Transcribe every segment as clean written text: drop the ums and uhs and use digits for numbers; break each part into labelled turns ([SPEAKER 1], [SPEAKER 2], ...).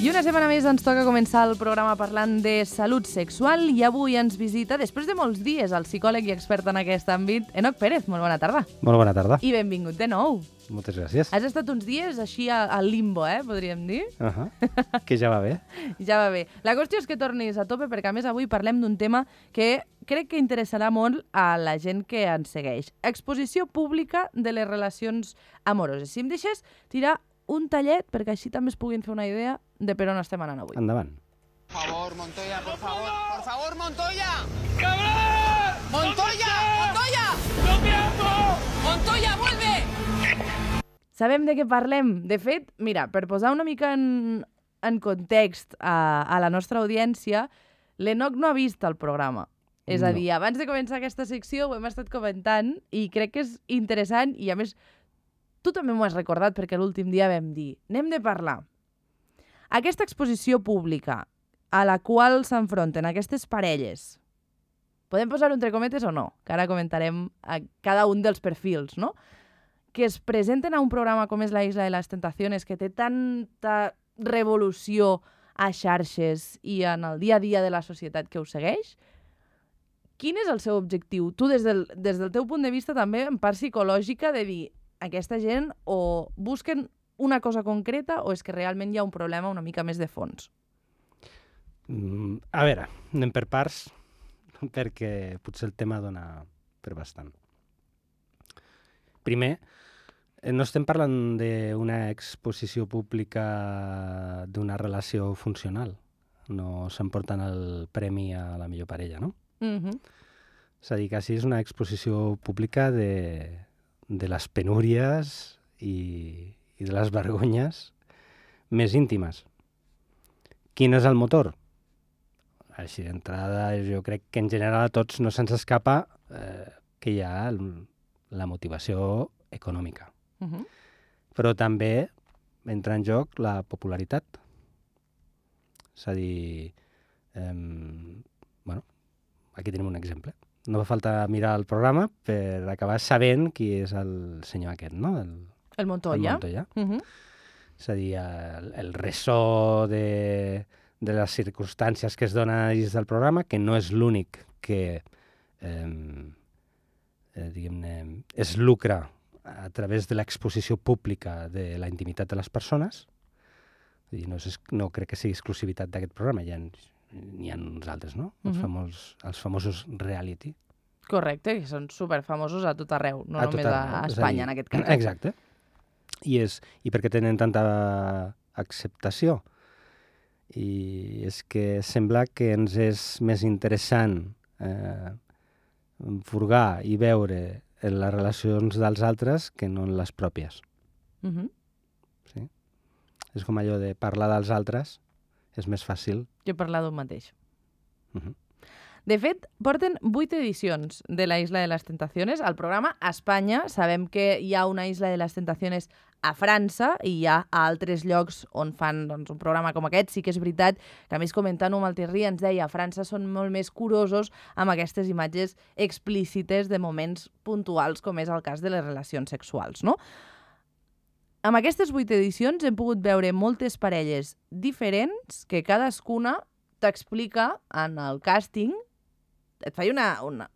[SPEAKER 1] I una setmana més ens toca començar el programa parlant de salut sexual i avui ens visita, després de molts dies, el psicòleg i expert en aquest àmbit, Enoc Pérez. Molt bona tarda.
[SPEAKER 2] Molt bona tarda.
[SPEAKER 1] I benvingut de nou.
[SPEAKER 2] Moltes gràcies.
[SPEAKER 1] Has estat uns dies així al limbo, podríem dir?
[SPEAKER 2] Que ja va bé.
[SPEAKER 1] Ja va bé. La qüestió és que tornis a tope perquè, a més, avui parlem d'un tema que crec que interessarà molt a la gent que ens segueix. Exposició pública de les relacions amoroses. Si em deixes tirar un tallet perquè així també es puguin fer una idea de per on estem anant avui.
[SPEAKER 2] Endavant.
[SPEAKER 3] Por favor, Montoya, por favor. ¡Por favor, Montoya!
[SPEAKER 4] ¡Cabrón!
[SPEAKER 3] ¡Montoya! ¡Montoya!
[SPEAKER 4] ¡No me hago!
[SPEAKER 3] ¡Montoya, vuelve!
[SPEAKER 1] Sabem de què parlem. De fet, mira, per posar una mica en context a la nostra audiència, l'Enoc no ha vist el programa. És a dir, abans de començar aquesta secció ho hem estat comentant i crec que és interessant i, a més, tu també m'ho has recordat perquè l'últim dia vam dir n'hem de parlar. Aquesta exposició pública a la qual s'enfronten aquestes parelles, podem posar-ho entre cometes o no, que ara comentarem a cada un dels perfils, no? Que es presenten a un programa com és La Isla de les Tentaciones, que té tanta revolució a xarxes i en el dia a dia de la societat que ho segueix. Quin és el seu objectiu? Tu, des del teu punt de vista, també en part psicològica, de dir aquesta gent o busquen una cosa concreta o és que realment hi ha un problema una mica més de fons?
[SPEAKER 2] A veure, anem per parts, perquè potser el tema dona per bastant. Primer, no estem parlant d'una exposició pública d'una relació funcional. No s'emporten el premi a la millor parella, no? És a dir, que sí és una exposició pública de les penúries i de les vergonyes més íntimes. Quin és el motor? Així d'entrada, jo crec que en general a tots no se'ns escapa que hi ha la motivació econòmica. Però també entra en joc la popularitat. És a dir, aquí tenim un exemple. No fa falta mirar el programa per acabar sabent qui és el senyor aquest, no?
[SPEAKER 1] El Montoya.
[SPEAKER 2] El Montoya. És a dir, el ressò de les circumstàncies que es donen dins del programa, que no és l'únic que es lucra a través de l'exposició pública de la intimitat de les persones. No crec que sigui exclusivitat d'aquest programa, n'hi ha uns altres, no? Els famosos reality.
[SPEAKER 1] Correcte, que són superfamosos a tot arreu, no només a Espanya, en aquest cas.
[SPEAKER 2] Exacte. I per què tenen tanta acceptació? I és que sembla que ens és més interessant furgar i veure en les relacions dels altres que no en les pròpies. Sí? És com allò de parlar dels altres és més fàcil.
[SPEAKER 1] Jo parlar d'un mateix. De fet, porten 8 edicions de La Isla de les Tentaciones. Al programa a Espanya sabem que hi ha una Isla de les Tentaciones a França i hi ha a altres llocs on fan un programa com aquest. Sí que és veritat que, a més, comentant-ho amb el Terri, ens deia a França són molt més curosos amb aquestes imatges explícites de moments puntuals, com és el cas de les relacions sexuals, no? Amb aquestes 8 edicions hem pogut veure moltes parelles diferents que cadascuna t'explica en el càsting. Et faig una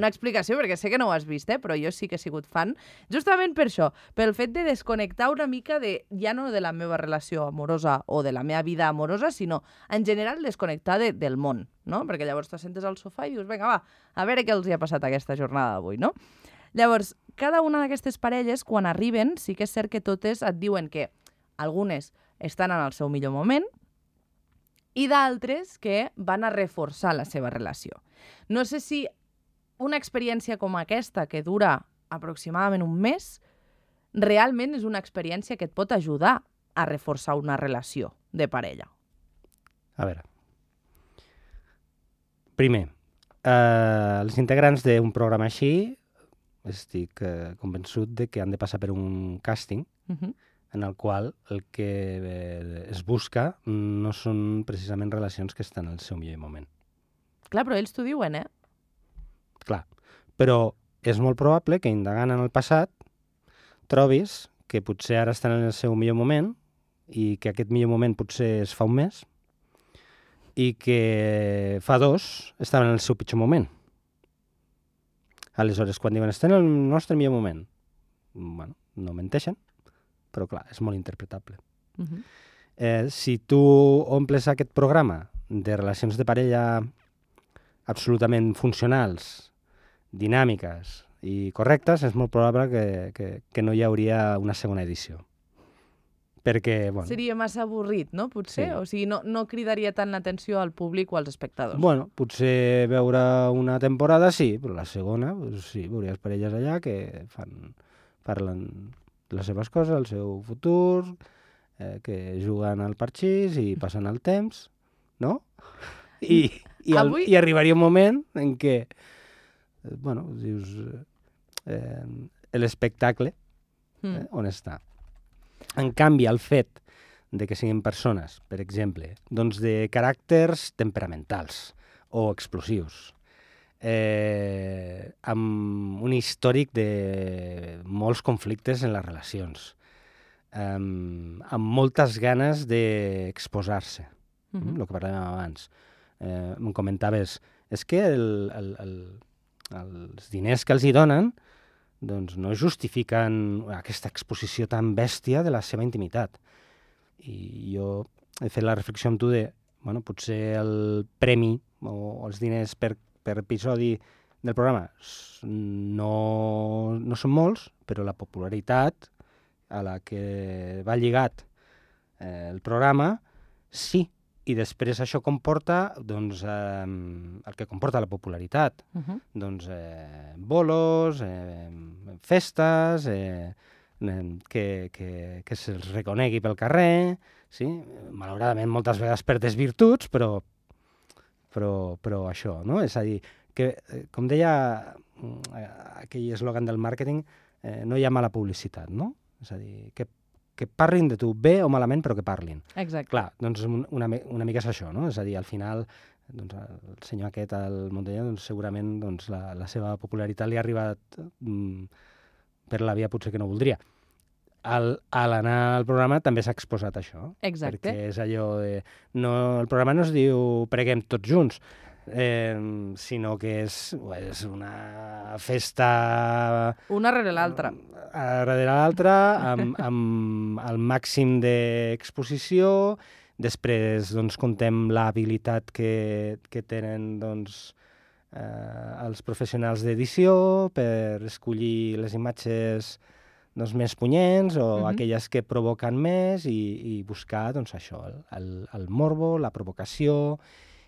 [SPEAKER 1] explicació, perquè sé que no ho has vist, però jo sí que he sigut fan, justament per això, pel fet de desconnectar una mica ja no de la meva relació amorosa o de la meva vida amorosa, sinó en general desconnectar del món, no? Perquè llavors t'assentes al sofà i dius, vinga, va, a veure què els hi ha passat aquesta jornada d'avui, no? Llavors, cada una d'aquestes parelles, quan arriben, sí que és cert que totes et diuen que algunes estan en el seu millor moment i d'altres que van a reforçar la seva relació. No sé si una experiència com aquesta, que dura aproximadament un mes, realment és una experiència que et pot ajudar a reforçar una relació de parella.
[SPEAKER 2] A veure. Primer, els integrants d'un programa així estic convençut de que han de passar per un càsting en el qual el que es busca no són precisament relacions que estan al seu millor moment.
[SPEAKER 1] Clar, però ells t'ho diuen,
[SPEAKER 2] Clar, però és molt probable que indagant en el passat trobis que potser ara estan en el seu millor moment i que aquest millor moment potser es fa un mes i que fa 2 estaven en el seu pitjor moment. Aleshores, quan diuen estem en el nostre millor moment, bueno, no menteixen, però clar, és molt interpretable. Si tu omples aquest programa de relacions de parella absolutament funcionals, dinàmiques i correctes, és molt probable que no hi hauria una segona edició. Perquè, bueno...
[SPEAKER 1] Seria massa avorrit, no? Potser?
[SPEAKER 2] Sí.
[SPEAKER 1] O sigui, no cridaria tant l'atenció al públic o als espectadors.
[SPEAKER 2] Bueno, potser veure una temporada sí, però la segona, doncs sí, veuries parelles allà que parlen de les seves coses, el seu futur, que juguen al parxís i passen el temps, no? I arribaria un moment en què, bueno, dius, l'espectacle, on està? En canvi, el fet de que siguin persones, per exemple, doncs de caràcters temperamentals o explosius, amb un històric de molts conflictes en les relacions, amb moltes ganes d'exposar-se, el que parlàvem abans. Em comentaves, és que els diners que els hi donen doncs no justifiquen aquesta exposició tan bèstia de la seva intimitat. I jo he fet la reflexió amb tu de, bueno, potser el premi o els diners per episodi del programa no són molts, però la popularitat a la que va lligat el programa sí. I després això comporta doncs, el que comporta la popularitat. Doncs bolos, festes, que se'ls reconegui pel carrer, sí? Malauradament moltes vegades per desvirtuts, però això, no? És a dir, que, com deia aquell eslògan del màrqueting, no hi ha mala publicitat, no? És a dir, que parlin de tu bé o malament, però que parlin.
[SPEAKER 1] Exacte.
[SPEAKER 2] Clar, doncs una mica és això, no? És a dir, al final, doncs, el senyor aquest, el Montanyà, doncs, segurament doncs, la seva popularitat li ha arribat per la via potser que no voldria. A l'anar al programa també s'ha exposat això.
[SPEAKER 1] Exacte.
[SPEAKER 2] Perquè és allò de... el programa no es diu preguem tots junts, sinó que és una festa...
[SPEAKER 1] Una rere l'altra.
[SPEAKER 2] Darrere l'altra, amb el màxim d'exposició. Després doncs, contem l'habilitat que tenen doncs, els professionals d'edició per escollir les imatges doncs, més punyents o aquelles que provoquen més i buscar doncs, això, el morbo, la provocació.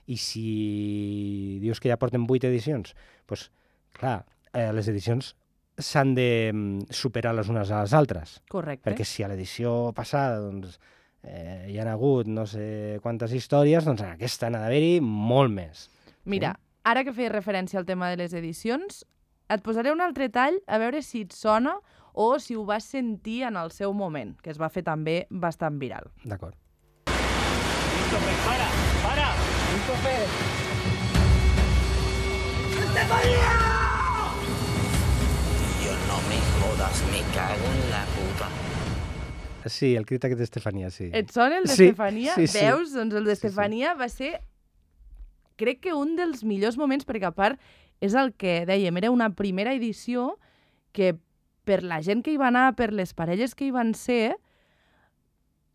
[SPEAKER 2] I si dius que ja porten 8 edicions, doncs, clar, les edicions s'han de superar les unes a les altres.
[SPEAKER 1] Correcte.
[SPEAKER 2] Perquè si a l'edició passada doncs, hi ha hagut no sé quantes històries, doncs en aquesta n'ha d'haver-hi molt més.
[SPEAKER 1] Mira, ara que feies referència al tema de les edicions, et posaré un altre tall a veure si et sona o si ho vas sentir en el seu moment, que es va fer també bastant viral.
[SPEAKER 2] D'acord.
[SPEAKER 4] ¡Para! ¡Para!
[SPEAKER 5] ¡Estefanía! Dios, no me jodas, me cago en la puta.
[SPEAKER 2] Sí, el crit aquest d'Estefania, sí.
[SPEAKER 1] Et sona el d'Estefania?
[SPEAKER 2] Sí, sí.
[SPEAKER 1] Veus? Doncs el d'Estefania va ser, crec que un dels millors moments, perquè a part és el que dèiem, era una primera edició que per la gent que hi va anar, per les parelles que hi van ser,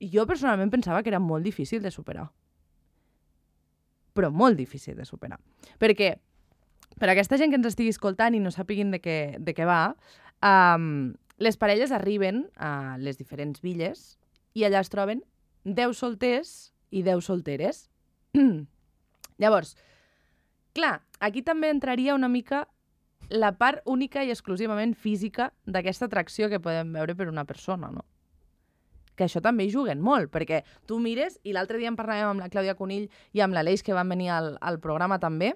[SPEAKER 1] jo personalment pensava que era molt difícil de superar. Però molt difícil de superar. Perquè, per a aquesta gent que ens estigui escoltant i no sàpiguin de què va, les parelles arriben a les diferents villes i allà es troben 10 solters i 10 solteres. Llavors, clar, aquí també entraria una mica la part única i exclusivament física d'aquesta atracció que podem veure per una persona, no? Que això també hi juguen molt, perquè tu mires, i l'altre dia en parlàvem amb la Clàudia Conill i amb l'Aleix, que van venir al programa també,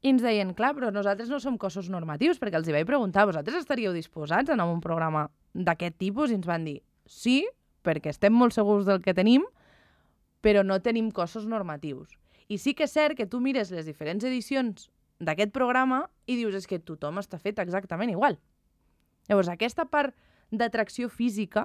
[SPEAKER 1] i ens deien, clar, però nosaltres no som cossos normatius, perquè els hi vaig preguntar, vosaltres estaríeu disposats a anar a un programa d'aquest tipus? I ens van dir, sí, perquè estem molt segurs del que tenim, però no tenim cossos normatius. I sí que és cert que tu mires les diferents edicions d'aquest programa i dius, és que tothom està fet exactament igual. Llavors, aquesta part d'atracció física,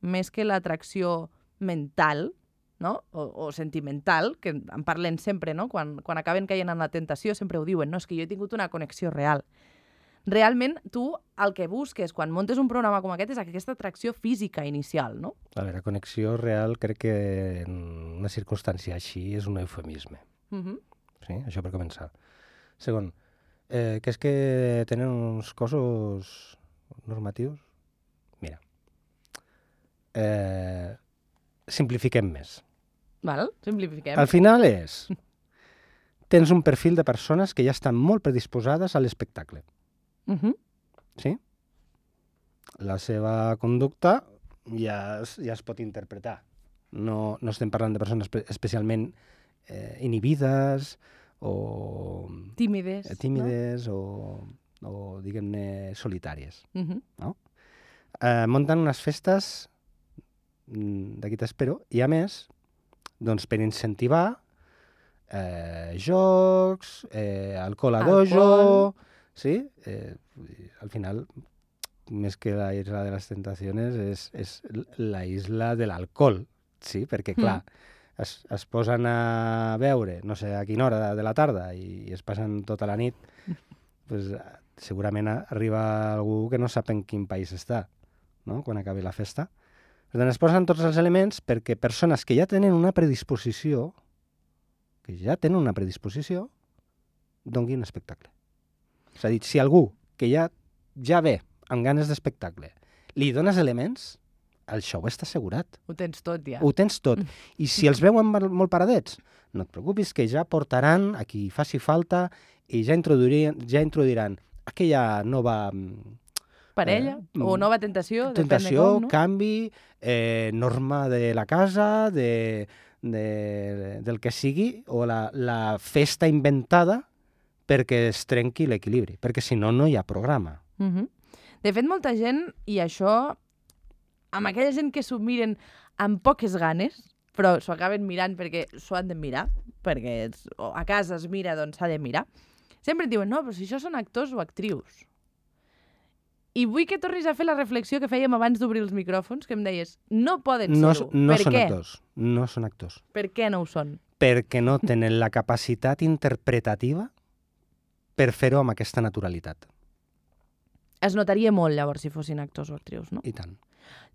[SPEAKER 1] més que l'atracció mental, no? O sentimental, que en parlen sempre, no? Quan acaben caient en la tentació sempre ho diuen, no? És que jo he tingut una connexió real. Realment, tu el que busques quan montes un programa com aquest és aquesta atracció física inicial, no?
[SPEAKER 2] A veure, connexió real crec que en una circumstància així és un eufemisme. Sí, això per començar. Segon, que és que tenen uns cossos normatius? Mira, simplifiquem més.
[SPEAKER 1] Val? Simplifiquem.
[SPEAKER 2] Al final tens un perfil de persones que ja estan molt predisposades a l'espectacle. Sí? La seva conducta ja es pot interpretar. No estem parlant de persones especialment inhibides o tímides o diguem-ne, solitàries. No? Munten unes festes d'aquí t'espero i, a més, doncs, per incentivar jocs, alcohol a dojo... Sí? Al final, més que la isla de les tentaciones, és la isla de l'alcohol, sí? Perquè, clar, es posen a beure, no sé a quina hora de la tarda, i es passen tota la nit, pues, segurament arriba algú que no sap en quin país està, no?, quan acabi la festa. Per tant, es posen tots els elements perquè persones que ja tenen una predisposició, donguin espectacle. És a dir, si algú que ja ve amb ganes d'espectacle li dones elements, el show està assegurat.
[SPEAKER 1] Ho tens tot, ja.
[SPEAKER 2] Ho tens tot. I si els veuen molt paradets, no et preocupis, que ja portaran a qui faci falta i ja introduiran aquella nova...
[SPEAKER 1] parella o nova tentació, depèn de com, no?
[SPEAKER 2] Canvi, norma de la casa, del que sigui, o la festa inventada perquè es trenqui l'equilibri, perquè si no, no hi ha programa.
[SPEAKER 1] De fet, molta gent, i això, amb aquella gent que s'ho miren amb poques ganes, però s'ho acaben mirant perquè s'ho han de mirar, perquè a casa es mira, doncs s'ha de mirar, sempre et diuen, no, però si això són actors o actrius. I vull que tornis a fer la reflexió que fèiem abans d'obrir els micròfons, que em deies, no poden ser-ho.
[SPEAKER 2] No són actors. No són actors.
[SPEAKER 1] Per què no ho són?
[SPEAKER 2] Perquè no tenen la capacitat interpretativa per fer-ho amb aquesta naturalitat.
[SPEAKER 1] Es notaria molt, llavors, si fossin actors o actrius, no?
[SPEAKER 2] I tant.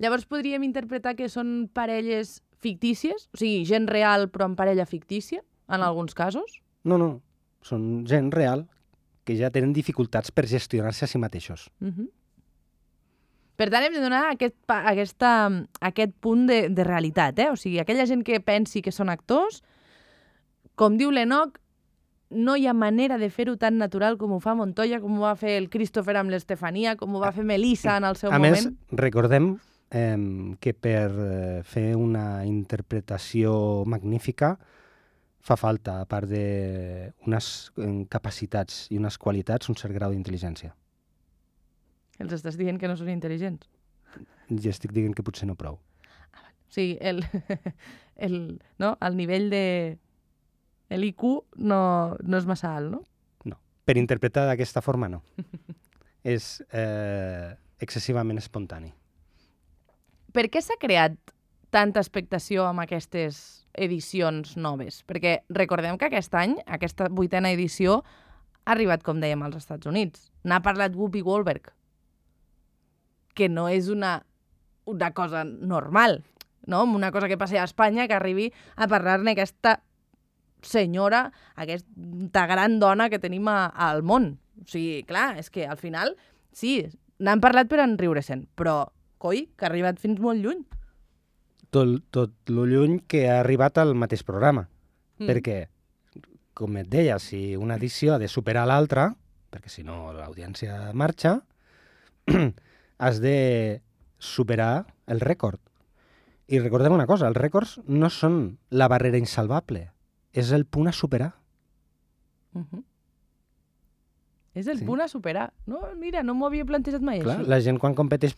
[SPEAKER 1] Llavors podríem interpretar que són parelles fictícies? O sigui, gent real però amb parella fictícia, en alguns casos?
[SPEAKER 2] No. Són gent real que ja tenen dificultats per gestionar-se a si mateixos.
[SPEAKER 1] Per tant, hem de donar aquest punt de realitat, O sigui, aquella gent que pensi que són actors, com diu l'Enoch, no hi ha manera de fer-ho tan natural com ho fa Montoya, com ho va fer el Christopher amb l'Estefania, com ho va fer Melissa en el seu moment.
[SPEAKER 2] A més, recordem que per fer una interpretació magnífica fa falta, a part d'unes capacitats i unes qualitats, un cert grau d'intel·ligència.
[SPEAKER 1] Els estàs dient que no són intel·ligents?
[SPEAKER 2] Ja estic dient que potser no prou.
[SPEAKER 1] O sigui, el nivell de... l'IQ no és massa alt, no?
[SPEAKER 2] No. Per interpretar d'aquesta forma, no. És excessivament espontani.
[SPEAKER 1] Per què s'ha creat tanta expectació amb aquestes edicions noves? Perquè recordem que aquest any, aquesta 8a edició, ha arribat, com dèiem, als Estats Units. N'ha parlat Whoopi Goldberg, que no és una cosa normal, no? Una cosa que passi a Espanya, que arribi a parlar-ne aquesta senyora, aquesta gran dona que tenim al món. O sigui, clar, és que al final, sí, n'han parlat per enriure-se'n, però, coi, que ha arribat fins molt lluny.
[SPEAKER 2] Tot lo lluny que ha arribat al mateix programa. Perquè, com et deia, si una edició ha de superar l'altra, perquè si no l'audiència marxa, has de superar el rècord. I recordem una cosa, els rècords no són la barrera insalvable, és el punt a superar.
[SPEAKER 1] És el punt a superar. No, mira, no m'ho havia plantejat mai
[SPEAKER 2] Clar,
[SPEAKER 1] així.
[SPEAKER 2] La gent quan competeix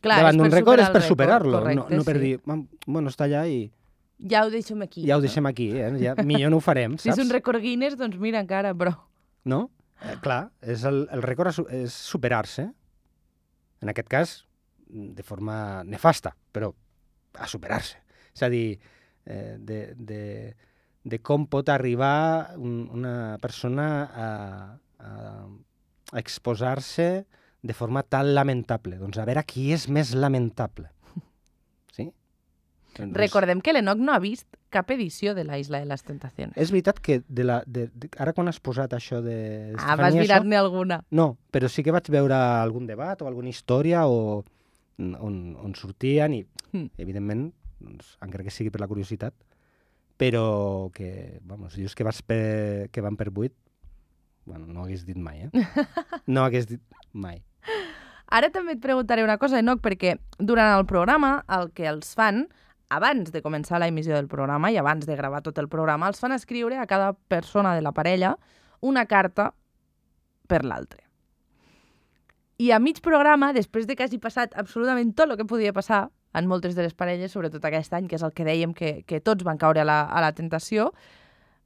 [SPEAKER 2] davant d'un rècord és per superar-lo, no per dir, bueno, està allà i...
[SPEAKER 1] Ja ho deixem aquí.
[SPEAKER 2] Ja ho deixem aquí, ja, millor no ho farem, saps?
[SPEAKER 1] Si és un rècord Guinness, doncs mira encara, però...
[SPEAKER 2] No? Clar, el rècord és superar-se. En aquest cas, de forma nefasta, però a superar-se. És a dir, de com pot arribar una persona a exposar-se de forma tan lamentable. Doncs a veure qui és més lamentable. Sí? Doncs...
[SPEAKER 1] Recordem que l'Enoch no ha vist cap edició de la Isla de les Tentacions.
[SPEAKER 2] És veritat que ara quan has posat això de...
[SPEAKER 1] Vas mirar-ne alguna.
[SPEAKER 2] No, però sí que vaig veure algun debat o alguna història on sortien i, evidentment, doncs, encara que sigui per la curiositat, però que, dius que van per 8, bueno, no ho hagués dit mai, No ho hagués dit mai.
[SPEAKER 1] Ara també et preguntaré una cosa, Enoch, perquè durant el programa el que els fan, abans de començar l'emissió del programa i abans de gravar tot el programa, els fan escriure a cada persona de la parella una carta per l'altre. I a mig programa, després de que hagi passat absolutament tot el que podia passar en moltes de les parelles, sobretot aquest any, que és el que dèiem que tots van caure a la tentació,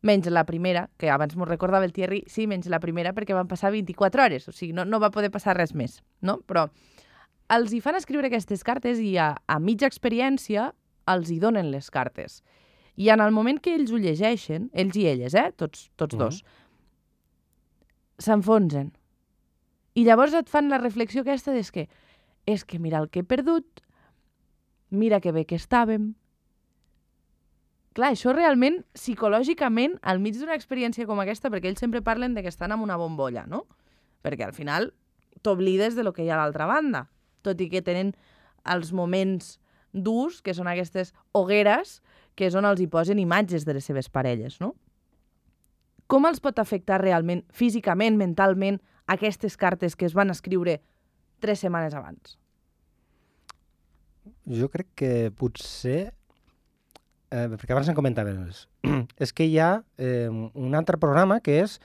[SPEAKER 1] menys la primera, que abans m'ho recordava el Thierry, sí, menys la primera, perquè van passar 24 hores, o sigui, no va poder passar res més, no? Però els hi fan escriure aquestes cartes i a mitja experiència els hi donen les cartes. I en el moment que ells ho llegeixen, ells i elles, tots dos, s'enfonsen. I llavors et fan la reflexió aquesta és que mira el que he perdut, mira que bé que estàvem. Clar, això realment, psicològicament, al mig d'una experiència com aquesta, perquè ells sempre parlen de que estan en una bombolla, no? Perquè al final t'oblides de lo que hi ha a l'altra banda, tot i que tenen els moments durs, que són aquestes hogueres, que és on els hi posen imatges de les seves parelles, no? Com els pot afectar realment, físicament, mentalment, aquestes cartes que es van escriure 3 setmanes abans?
[SPEAKER 2] Jo crec que potser... perquè abans en comentaven, és que hi ha un altre programa que és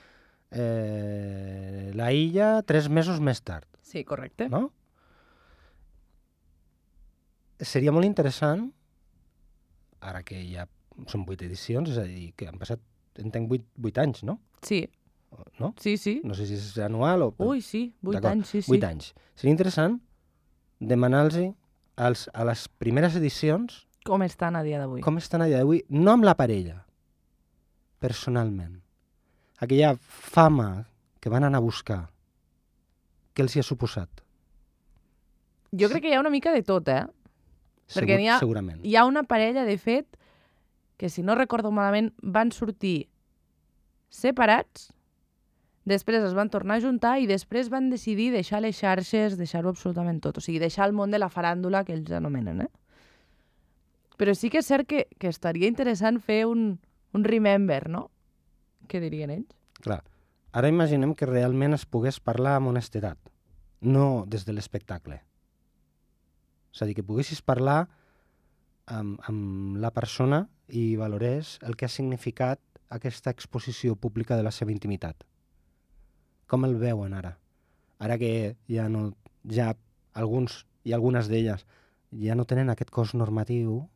[SPEAKER 2] La Illa 3 mesos més tard.
[SPEAKER 1] Sí, correcte.
[SPEAKER 2] No? Seria molt interessant, ara que ja són 8 edicions, és a dir, que han passat, entenc, 8 anys, no?
[SPEAKER 1] Sí.
[SPEAKER 2] No?
[SPEAKER 1] Sí, sí.
[SPEAKER 2] No sé si és anual o...
[SPEAKER 1] Ui, sí, 8 anys, sí, sí.
[SPEAKER 2] 8 anys. Seria interessant demanar-los a les primeres edicions
[SPEAKER 1] com estan a dia d'avui.
[SPEAKER 2] Com estan a dia d'avui, no amb la parella, personalment. Aquella fama que van anar a buscar, què els hi ha suposat?
[SPEAKER 1] Jo crec que hi ha una mica de tot, Perquè
[SPEAKER 2] segurament.
[SPEAKER 1] Hi ha una parella, de fet, que si no recordo malament, van sortir separats, després es van tornar a juntar i després van decidir deixar les xarxes, deixar-ho absolutament tot. O sigui, deixar el món de la faràndula, que ells anomenen, Però sí que és cert que estaria interessant fer un remember, no? Què dirien ells?
[SPEAKER 2] Clar. Ara imaginem que realment es pogués parlar amb honestedat, no des de l'espectacle. És a dir, que poguessis parlar amb la persona i valorés el que ha significat aquesta exposició pública de la seva intimitat. Com el veuen ara? Ara que ja alguns i algunes d'elles ja no tenen aquest cos normatiu,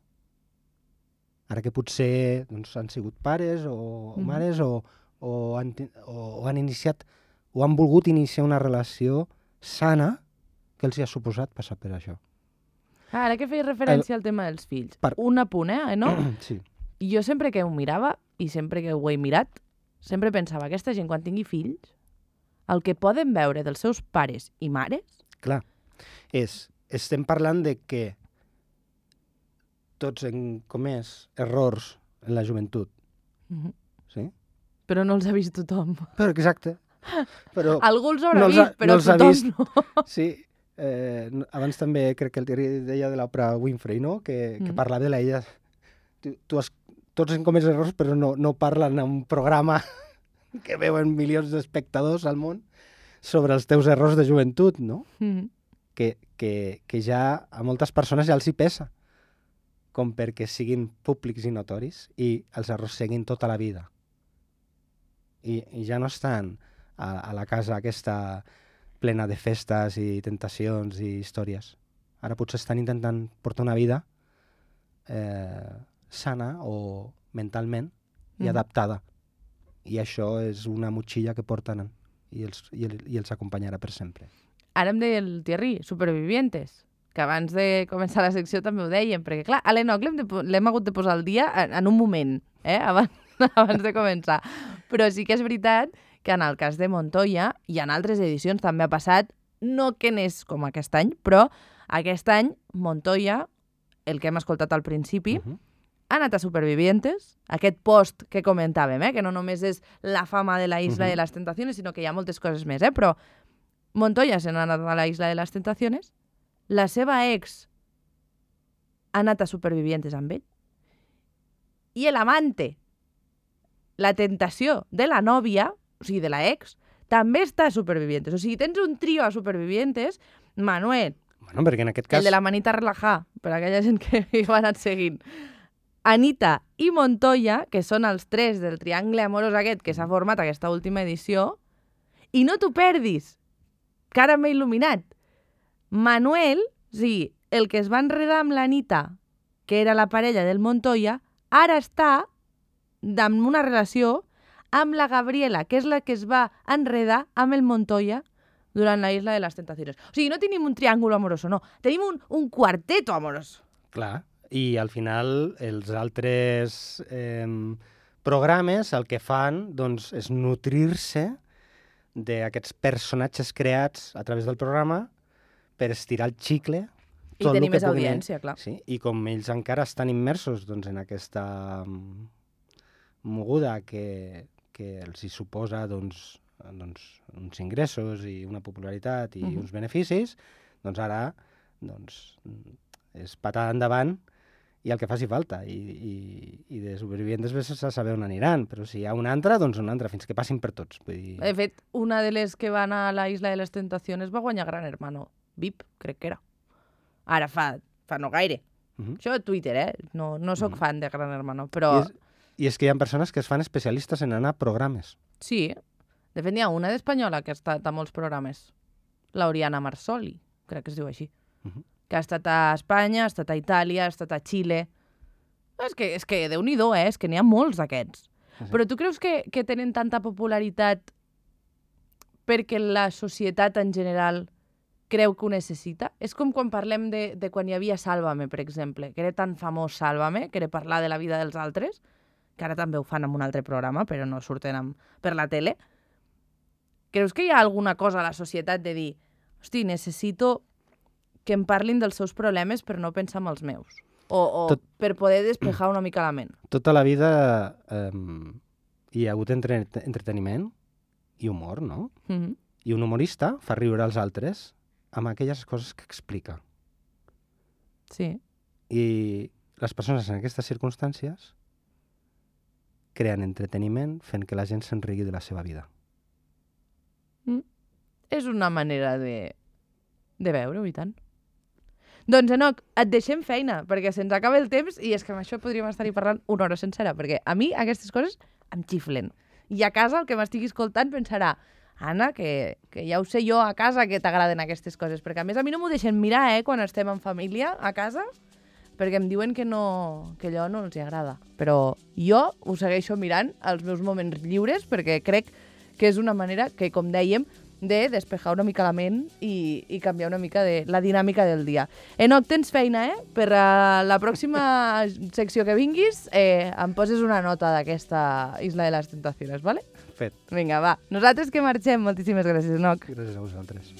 [SPEAKER 2] ara que potser doncs, han sigut pares o mares o han iniciat o han volgut iniciar una relació sana, que els hi ha suposat passar per això.
[SPEAKER 1] Ara que feies referència al tema dels fills. Un apunt, no?
[SPEAKER 2] Sí.
[SPEAKER 1] Jo sempre que ho mirava, i sempre que ho he mirat, sempre pensava, aquesta gent quan tingui fills, el que poden veure dels seus pares i mares...
[SPEAKER 2] Clar, estem parlant de que tots hem comès errors en la joventut. Sí?
[SPEAKER 1] Però no els ha vist tothom.
[SPEAKER 2] Però, exacte. Però
[SPEAKER 1] algú els haurà vist, però tothom no.
[SPEAKER 2] Sí. Abans també crec que el Thierry deia de l'Oprah Winfrey, no? Que parlava de l'ella. Tots hem comès errors, però no parlen en un programa que veuen milions d'espectadors al món sobre els teus errors de joventut, no? Que ja a moltes persones ja els hi pesa, com perquè siguin públics i notoris i els errors seguin tota la vida. I ja no estan a la casa aquesta plena de festes i tentacions i històries. Ara potser estan intentant portar una vida sana o mentalment i adaptada. I això és una motxilla que porten i els acompanyarà per sempre.
[SPEAKER 1] Ara em deia el Thierry, Supervivientes, que abans de començar la secció també ho dèiem, perquè clar, a l'Enoc l'hem hagut de posar al dia en un moment, abans de començar. Però sí que és veritat que en el cas de Montoya i en altres edicions també ha passat, no que n'és com aquest any, però aquest any Montoya, el que hem escoltat al principi, ha anat a Supervivientes, aquest post que comentàvem, que no només és la fama de la Isla de las Tentaciones, sinó que hi ha moltes coses més, però Montoya se n'ha anat a la Isla de las Tentaciones, la seva ex ha anat a Supervivientes amb ell, i l'amante, la tentació de la nòvia, o sigui, de la ex, també està a Supervivientes. O sigui, tens un trio a Supervivientes, Manuel,
[SPEAKER 2] Bueno, perquè en aquest cas...
[SPEAKER 1] el de la manita relajada, per a aquella gent que hi va anar seguint, Anita i Montoya, que són els tres del triangle amorós aquest que s'ha format aquesta última edició, i no t'ho perdis, que ara m'he il·luminat. Manuel, o sigui, el que es va enredar amb l'Anita, que era la parella del Montoya, ara està en una relació amb la Gabriela, que és la que es va enredar amb el Montoya durant la Isla de las Tentaciones. O sigui, no tenim un triàngul amoroso, no. Tenim un quarteto amorós.
[SPEAKER 2] Clar, i al final els altres programes el que fan doncs, és nutrir-se d'aquests personatges creats a través del programa per estirar el xicle.
[SPEAKER 1] I tenir més audiència, clar.
[SPEAKER 2] Sí, i com ells encara estan immersos doncs, en aquesta moguda que els hi suposa uns ingressos i una popularitat i uns beneficis, doncs ara és patada endavant i el que faci falta. I de Supervivientes vés a saber on aniran, però si hi ha una altra, doncs una altra, fins que passin per tots. Vull dir...
[SPEAKER 1] De fet, una de les que va anar a la Isla de les Tentaciones va guanyar Gran Hermano. VIP, crec que era. Ara fa no gaire. Això a Twitter, No sóc fan de Gran Hermano, però...
[SPEAKER 2] I és que hi ha persones que es fan especialistes en anar a programes.
[SPEAKER 1] Sí. De fet, n'hi ha una d'espanyola que ha estat a molts programes. L'Oriana Marsoli, crec que es diu així. Que ha estat a Espanya, ha estat a Itàlia, ha estat a Xile. És que Déu-n'hi-do, és que n'hi ha molts d'aquests. Però tu creus que tenen tanta popularitat perquè la societat en general creu que ho necessita? És com quan parlem de quan hi havia Sálvame, per exemple, que era tan famós Sálvame, que era parlar de la vida dels altres, que ara també ho fan en un altre programa, però no surten per la tele. Creus que hi ha alguna cosa a la societat de dir hosti, necessito que em parlin dels seus problemes per no pensar en els meus? O per poder despejar una mica la ment?
[SPEAKER 2] Tota la vida hi ha hagut entreteniment i humor, no? I un humorista fa riure als altres amb aquelles coses que explica.
[SPEAKER 1] Sí.
[SPEAKER 2] I les persones en aquestes circumstàncies creen entreteniment fent que la gent se'n rigui de la seva vida.
[SPEAKER 1] És una manera de veure-ho, i tant. Doncs, Enoc, et deixem feina, perquè se'ns acaba el temps i és que amb això podríem estar-hi parlant una hora sencera, perquè a mi aquestes coses em xiflen. I a casa el que m'estigui escoltant pensarà Anna, que ja ho sé jo a casa que t'agraden aquestes coses, perquè a més a mi no m'ho deixen mirar, quan estem en família a casa, perquè em diuen que allò no els agrada. Però jo ho segueixo mirant als meus moments lliures perquè crec que és una manera que, com dèiem, de despejar una mica la ment i canviar una mica de la dinàmica del dia. Enoc, tens feina, Per a la pròxima secció que vinguis, em poses una nota d'aquesta Isla de las Tentaciones, ¿vale?
[SPEAKER 2] Fet.
[SPEAKER 1] Vinga, va. Nosaltres que marxem. Moltíssimes gràcies, Enoc.
[SPEAKER 2] Gràcies a vosaltres.